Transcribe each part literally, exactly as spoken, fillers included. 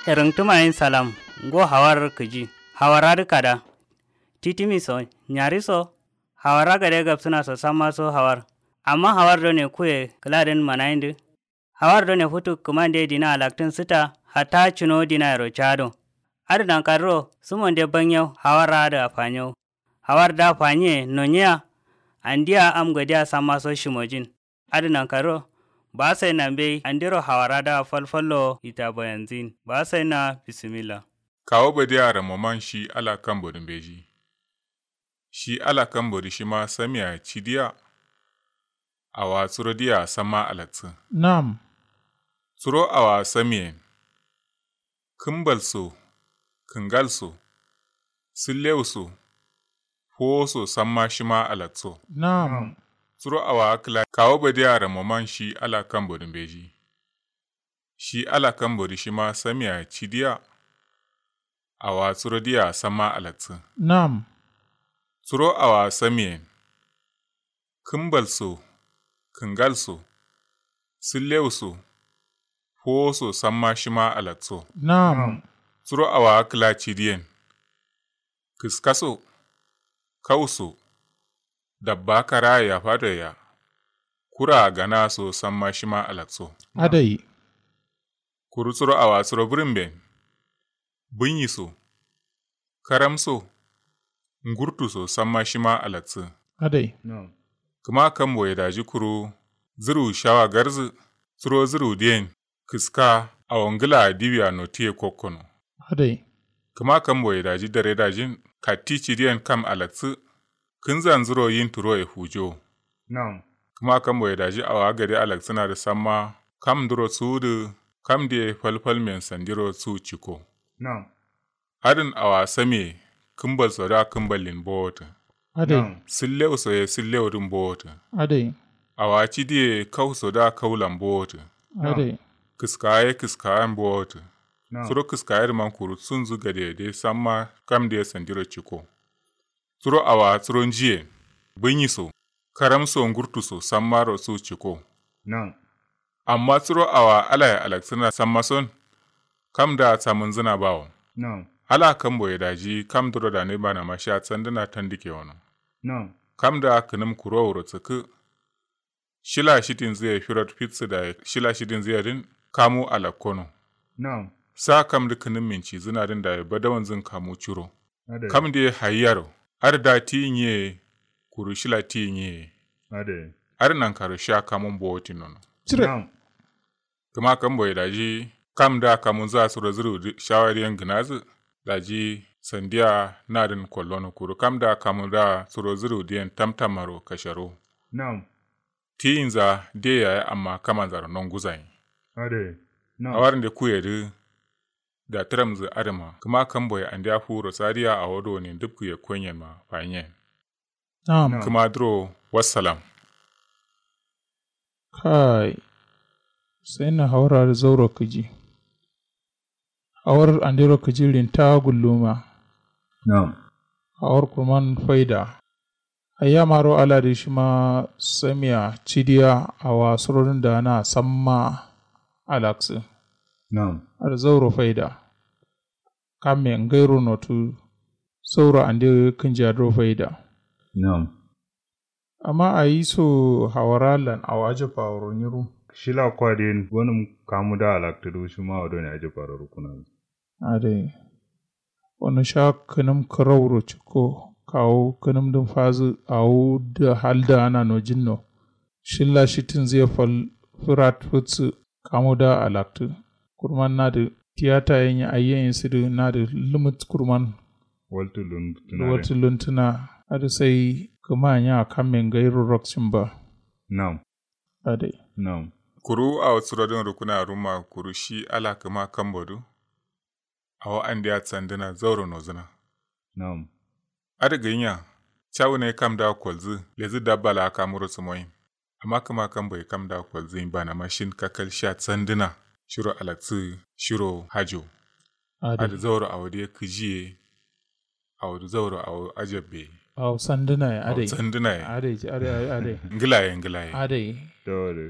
Rǝngtǝma yen salam. Ngo hawar kǝji. Hawar adǝ kada. Titimi so nyari so. Hawar agade gabsǝna so samma so hawar. Amma hawar done kuye kǝladǝn manayindǝ. Hawar done futu kǝmande dina alaktǝn sǝta. Hatta cǝno dinayero cado. Adǝ nankadǝro sǝmonde banyau hawar adǝ afanyau. Hawar da fanyiye nonyiya. Andiya am gadiya samma so shimojin. Adǝ nankaro. Ba sai nambe andiro hawara da falfallo ita bayanzin ba sai na. Bisimilla. Kawo badiya ramoman shi ala kambo dǝ mbeji. Shi ala kambo dǝ shima samiya cidiya. Awa suro diya samma alatsǝ. Nam. Suro awa samiyen. Kǝmbal so. Kǝngal so. Sǝllew so. Fowo so samma shima alakso. Nam. Suro awa kǝla kawo badiya ramoman shi ala kambo dǝ mbeji. Shi ala kambo dǝ shima samiya cidiya. Awa suro diya samma alaksǝ. Nam. Suro awa samiyen. Kǝmbal so. Kǝngal so. Sǝllew so. Fowo so samma shima alakso. Nam. Suro awa kǝla cidiyen. Kǝska so. Kau so. Dabba kara ya fado ya. Kura gana so samma shima alakso. Adai. Kuru suro awa suro bǝrǝmben. Bǝnyi so. Karam so. Ngurtu so samma shima alaksǝ. Adai. Kǝma kambo ye daji kuru. Zǝru shawa garzǝ. Suro zǝru diyen. Kǝska. Awo ngǝla diwiya notiye kokkono. Adai. Kǝma kambo ye daji dare dajin. Katti cidiyen kam alaksǝ. Kǝnzanzuro yin turo ye fujo. Nam. Kǝma kambo ye daji awa gade alaksǝna dǝ samma. Kam nduro suwudǝ. Kam diye falfalmen sandiro suwu ciko. Nam. Adǝn awa samiye. Kǝmbal so da kǝmballin bowotǝ. Adai. Nam. Sǝllew so ye sǝllew dǝn bowotǝ. Adai. Awa cidiye kau so da kaulan bowotǝ. Adai. Kǝskawa ye kǝskawan bowotǝ. Nam. Suro kǝskawa ye dǝ man kuru sunzǝ gade ye dai samma kam diye sandiro ciko. Suro awa suro njiye. Bǝnyi so. Karam so ngurtu so sammaro su ciko. Nam. Amma suro awa alaye alaksǝna samma son. Kam da samǝnzǝna bawo. Nam. Ala kambo ye daji kam duro dane banama sha sandǝna tandike wono. Nam. Kam da kǝnǝm kuro wuro sǝkkǝ. Shila shitinzǝ ye firot fitsǝ daye shila shitinzǝ ye dǝn. Kamu alakkono. Nam. Sa kam dǝ kǝnǝm mincizǝna dǝn daye badawanzǝn kamu curo. Adai. Kam diye hayiyaro. Adǝ da tiyin ye. Kuru shila tiyin ye. Adai. Adǝ nankaro sha kamun bowotin nono. Cire. Nam. Kǝma kambo ye daji. Kam da kamunzǝ a suro zǝru dǝ shawari yen gǝnazǝ. Daji sandiya nadǝn kollono kuru kam da kamu da suro zǝru diyen tamtamaro kasharo. Nam. Tiyinza diye yaye amma kamanzaro nonguzayin. Adai. Nam. Awarnde kuye dǝ. Datǝramzǝ adǝma kǝma kamboye andeya fuwuro sadiya awo done ndǝbkǝ yekkonyen ma fanyen. Nam. Kǝma duro. Wassalam. Kai. Sai na hawar adǝ zauro kǝji. Hawar andero kǝji rinta gulluma. Nam. Hawar kurman faida. Ayyamaro aladǝ shima samiya cidiya awa surodǝn dana samma. Alaksǝ. Nam. Adǝ zauro faida. Kamme ngairo notu. Sauro ande kǝnjadǝro faida. Nam. Amma ayi so hawara lan awo ajabba woro nyiru. Shila kwa diyen gonǝm kamu da alaktǝ dǝ shima awo done ajabba ro rukuna. Adai. Wano sha kǝnǝm kǝrauro cikko kawu kǝnǝm dǝn fazǝ awu dǝ hal dǝ ana nojinno. Shilla shitǝnzǝ ye fal fǝrat fǝtsǝ. Kamu da alaktǝ. Kurman nadǝ tiyata ye nyi ayye nyi sǝdǝ nadǝ lǝmǝt kurman. Waltǝ luntǝna. Waltǝ luntǝna. Adǝ sai kǝma nya kamme ngairo rakcin ba. Nam. Adai. Nam. Kuru awo suro dǝn rukuna rumma kuru shi ala kǝma kambo dǝ. Awo andeya sandǝna zauro nozǝna. Nam. Adǝ gǝnya. Cawu ne kam da kolzǝ lezǝ dabba la kamuro sǝmoyin. Amma kǝma kambo ye kam da kolzǝ yin bana mashin kakal sha sandǝna. Shiro alaksǝ. Shiro hajo. Adǝ zauro awo dǝ ye kǝji ye. Awo dǝ zauro awo ajabbe ye. Awo sandǝna ye adai. Sandǝna ye adai. Adai. Ngǝla ye ngǝla ye adai. Dole.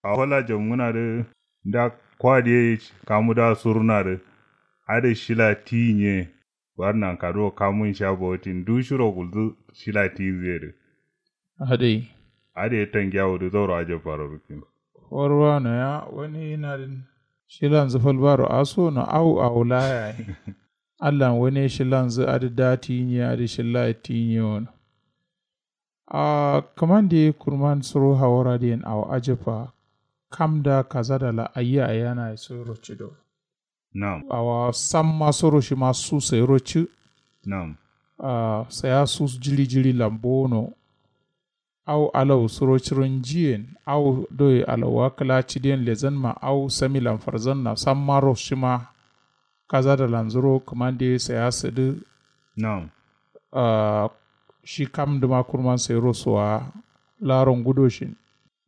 Awo la jomngǝna dǝ. Nda kwa dǝ ye kamu da suruna dǝ. Adǝ shila tiyi nye. War nanka duro kamun sha botin du shiro gulzu shila tiyi nzǝ ye dǝ. Adai. Adai tangiya wudǝ zauro ajabba ro rukkin. Warwa no ya wani nadin shilanzǝ falbaro aso no au au la yayi. Allan wani shilanzǝ adǝ da tiyi nye adǝ shilla ye tiyi nye wono. Ahh kǝmande kurman suro hawara diyen awo ajabba. Kam da kazada la ayya ayyana ye suro cido. Nam. Awa samma soro shima su sairo ci. Nam. Ahh saya su jiri jiri lan bono. Au alau suro ciro njiyen au doi alauwa kǝla cidiyen lezanma au samilan farzanna sammaro shima. Kazada lanzuro kǝmande saya sǝdǝ. Nam. Ahh shi kamdǝma kurman sairo sowa. Laro ngudoshin.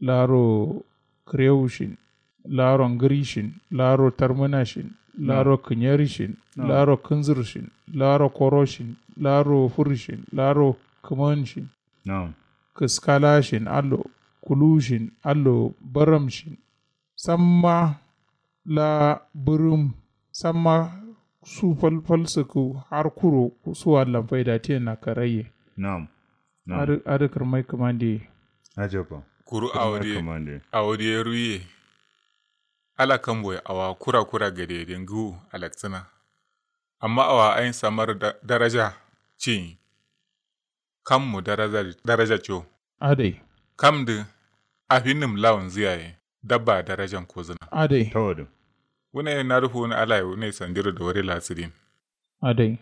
Laro kǝrewushin. Laro ngǝrishin. Laro tarmǝnashin. Laro kǝnyerishin. Laro kǝnzǝrshin. Laro koroshin. Laro fǝrishin. Laro kǝmanshin. Kǝskalashin allo. Kulushin allo. Baramshin. Samma la bǝrǝm. Samma su fal fal sǝkkǝ har kuro su allan faida tiyen na karaiye. Nam. Adǝ kǝrmai kǝmande ye. Ajabba. Kuru awo diye ruye. Ala kambo ye awa kura kura gade ye de ngǝwu alaksǝna. Amma awa ayin samar daraja ciyin. Kammu daraja co. Adai. Kamdǝ afinnǝm lawonzǝ yaye dabba darajan kozǝna. Adai. Tawadǝ. Wune nadǝ fuwun alaye wune sandiro dawari la sǝdin. Adai.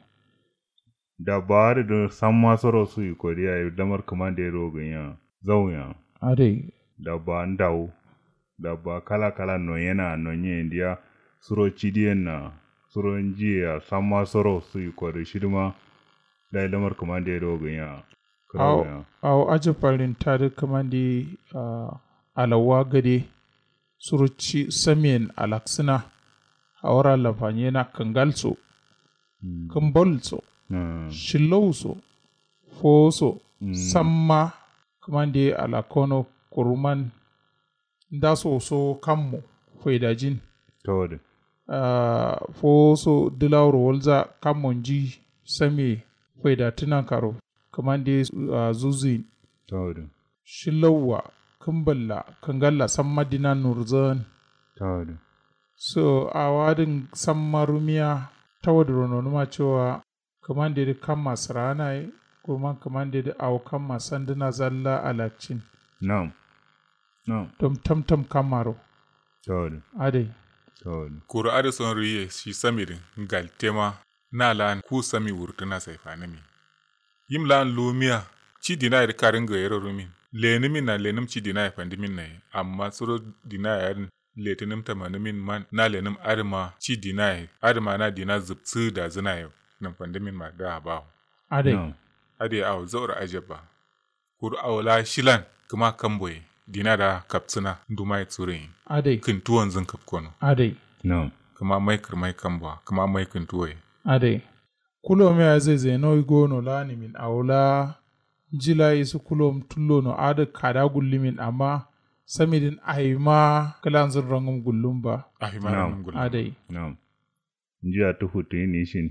Dabba adǝ dǝ samma soro suyi kodiya lamar kǝmande ye do gǝnya. Zaunya. Adai. Dabba ndawu. Dabba kala kala noyena nonye ndiya. Suro cidiyen na suro njiye ya samma soro suyi kodǝ shidǝma. Dai lamar kǝmande ye do gǝnya. Awo ajab farin tadǝ kǝmande. Alauwa gade. Suro ci samiyen alaksǝna. Hawara lafanyena kǝngal so. Kǝmbal so. Shillau so. Fowo so. Samma kǝmande alakkono. Kuruman ndaso so kammo. Faidajin. Tawadǝ. Ahh fowo so dǝlawuro walza kammo nji samiye. Faida tǝnankaro. Kǝmande ye ahh zuzuyin. Tawadǝ. Shillauwa. Kǝmballa kǝngalla samma dina nurzǝn. Tawadǝ. So awadǝn samma rumiya. Tawadǝro nonuma cowa. Kǝmande dǝ kamma sǝraana ye. Kurman kǝmande dǝ awo kamma sandǝna zalla alaccin. Nam. Nam. Dom tamtam kammaro. Tawadǝ. Adai. Tawadǝ. Kuru adǝ son ruye shi samidǝ. Ngaltema. Na la'an ku sami wurtǝna sai fanǝmi. Yim la'an lumiya. Ci dinaye dǝ karin gayero rumin. Lenǝmin na lenǝm ci dinaye fandǝmin naye amma suro dinaye adǝn. Letǝnǝm tamanǝmin man na lenǝm adǝma ci dinaye adǝma na dina zǝbsǝ dazǝnaye. Nǝmfandǝmin ma da bawo. Adai. Adai awo zauro ajabba. Kuru awo la shilan kǝma kamboye dina da kapsǝna ndumaye tsurin. Adai. Kǝntuwonzǝn kapkono. Adai. Kǝma mai kǝrmai kambowa kǝma mai kǝntuwoye. Adai. Kulomiya zezeno gono la nimin awo la. Nji la isǝ kulom tullono adǝ kada gullumin amma samidǝn awima kǝlanzǝn rangǝm gullum ba. Awima rangǝm gullum ba. Adai. Nji attǝ futtuyin ishin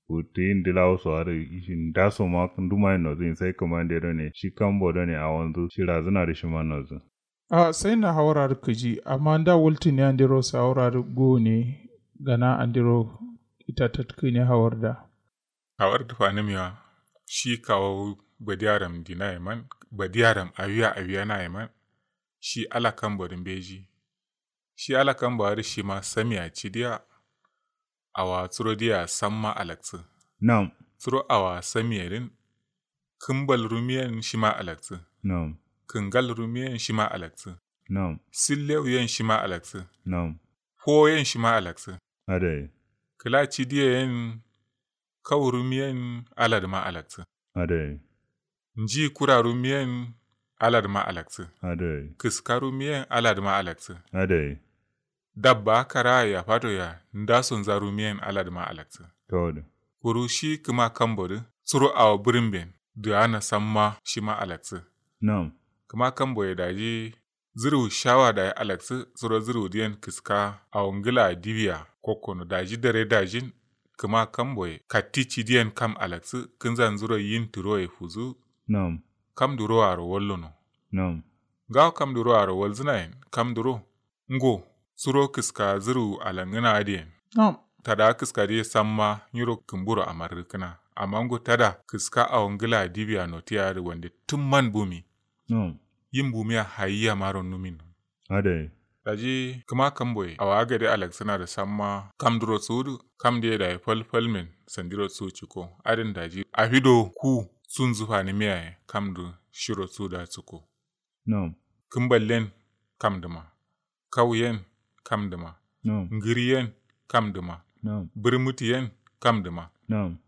futtuyin dǝlawo so adǝ ishin ndaso ma ndumayin nozǝyin sai kǝmande done shi kambo done awonzǝ shirazǝna dǝ shima nozǝ. Ahh sai na hawar adǝ kǝji amma nda waltǝne andero sai hawar adǝ gone. Gana andero ita tatkǝne hawar da. Hawar dǝ fanǝmiya shi kawo badiyaram dinaye man badiyaram awiya awiyanaye man. Shi ala kambo dǝ mbeji. Shi ala kambo adǝ shima samiya cidiya. Awa tsuro diya samma alaksǝ. Nam. Tsuro awa samiye dǝn. Kǝmbal rumiyen shima alaksǝ. Nam. Kǝngal rumiyen shima alaksǝ. Nam. Sillewu yen shima alaksǝ. Nam. Fowo yen shima alaksǝ. Adai. Kǝla cidiye yen. Kau rumiyen aladǝma alaksǝ. Adai. Nji kura rumiyen aladǝma alaksǝ. Adai. Kǝska rumiyen aladǝma alaksǝ. Adai. Dabba karaye ya fatoya ndasonza rumiyen aladǝma alaksǝ. Tawadǝ. Kuru shi kǝma kambodǝ tsuro awo bǝrǝmben dǝgana samma shima alaksǝ. Nam. Kǝma kamboye daji. Zǝrǝwu shawa dayi alaksǝ suro zǝrǝwu dǝyen kǝska awo ngǝlaa diwiya kokkono daji dare dajin. kǝma kamboye katti cidiyen kam alaksǝ kǝnzanzuro yin tǝroye fuzu. Nam. Kam duroaro wallono. Nam. Ngawo kam duroaro walzǝnayen kam duro. Ngo suro kǝska zǝru alangǝna adǝyen. Nam. Tada kǝska dǝye samma nyiro kǝmburo amarrǝkǝna. Amma ngo tada kǝska awo ngǝla dibiya notiya adǝ wande tǝmman bumi. Nam. Yin bumiya hayiya maro numin. Adai. Daji kǝma kamboye awa gade alaksǝna dǝ samma kam duro sudu kam dǝye dayi falfalmin sandiro su ciko adǝn daji afido ku sunzǝ fanimiyaye kam dǝ shiro suda ciko. Nam. Kǝmballen kam dǝma. Kauyen kam dǝma. Nam. Ngǝriyen kam dǝma. Nam. Bǝrmǝtiyen kam dǝma. Nam.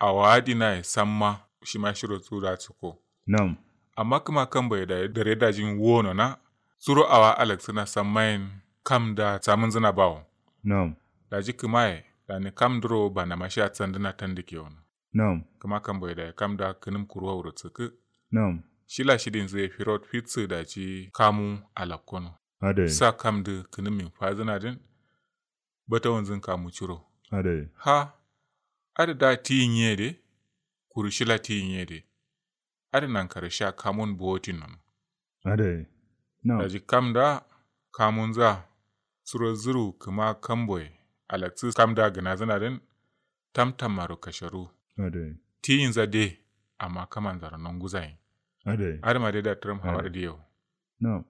Awa adinaye samma shima shiro suda ciko. Nam. Amma kǝma kamboye dayi dare dajin wonona suro awa alaksǝna sammayen kam da samǝnzǝna bawo. Nam. Daji kǝmaye dani kam duro banama sha sandǝna tandǝ kewono. Nam. Kǝma kamboye dayi kam da kǝnǝm kuruwa wuro sǝkkǝ. Nam. Shila shidinzǝ ye firot fitsǝ daji kamu alakkono. Adai. Sa kam dǝ kǝnǝm min fazǝna dǝn. Batawanzǝn kamu curo. Adai. Ha. Adǝ da tiyin ye de. Kuru shila tiyin ye de. Adǝ nankare sha kamun bowotin nono. Adai. Nam. Daji kam da kamunza suro zǝru kǝma kamboye alaksǝ kam da gǝnazǝna dǝn. Tamtam maro kasharu. Adai. Tiyinza de. Amma kamanzaro nonguzayin. Adai. Adǝma de da tǝram hawar diyo. Nam.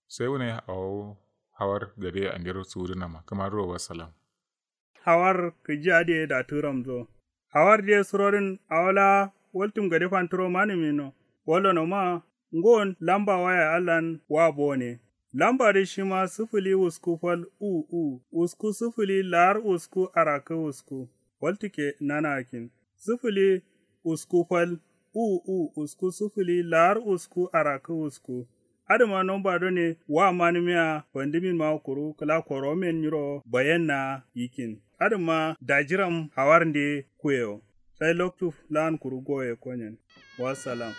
Sai wune awo hawar gade andero sudunama kǝma duro wassalam. Hawar kǝji adǝ ye da tǝramzo. Hawar dǝ ye surodǝn awo la waltǝm gade fanturo manǝmino. Wallono ma ngon lamba waya allan wa bone. Lamba dǝ shima sǝfǝli usku fal u u usku sǝfǝli lar usku arakkǝ usku. Waltǝkke nana akkin. Sǝfǝli usku fal u u usku sǝfǝli lar usku arakkǝ usku. Adǝma nomba done wa manǝmiya fandǝmin ma kuru kǝla koromen nyiro bayenna yikkin. Adǝma dajiram hawarnde kuyewo. Sai loktu lan kuru goye konyen. Wassalam.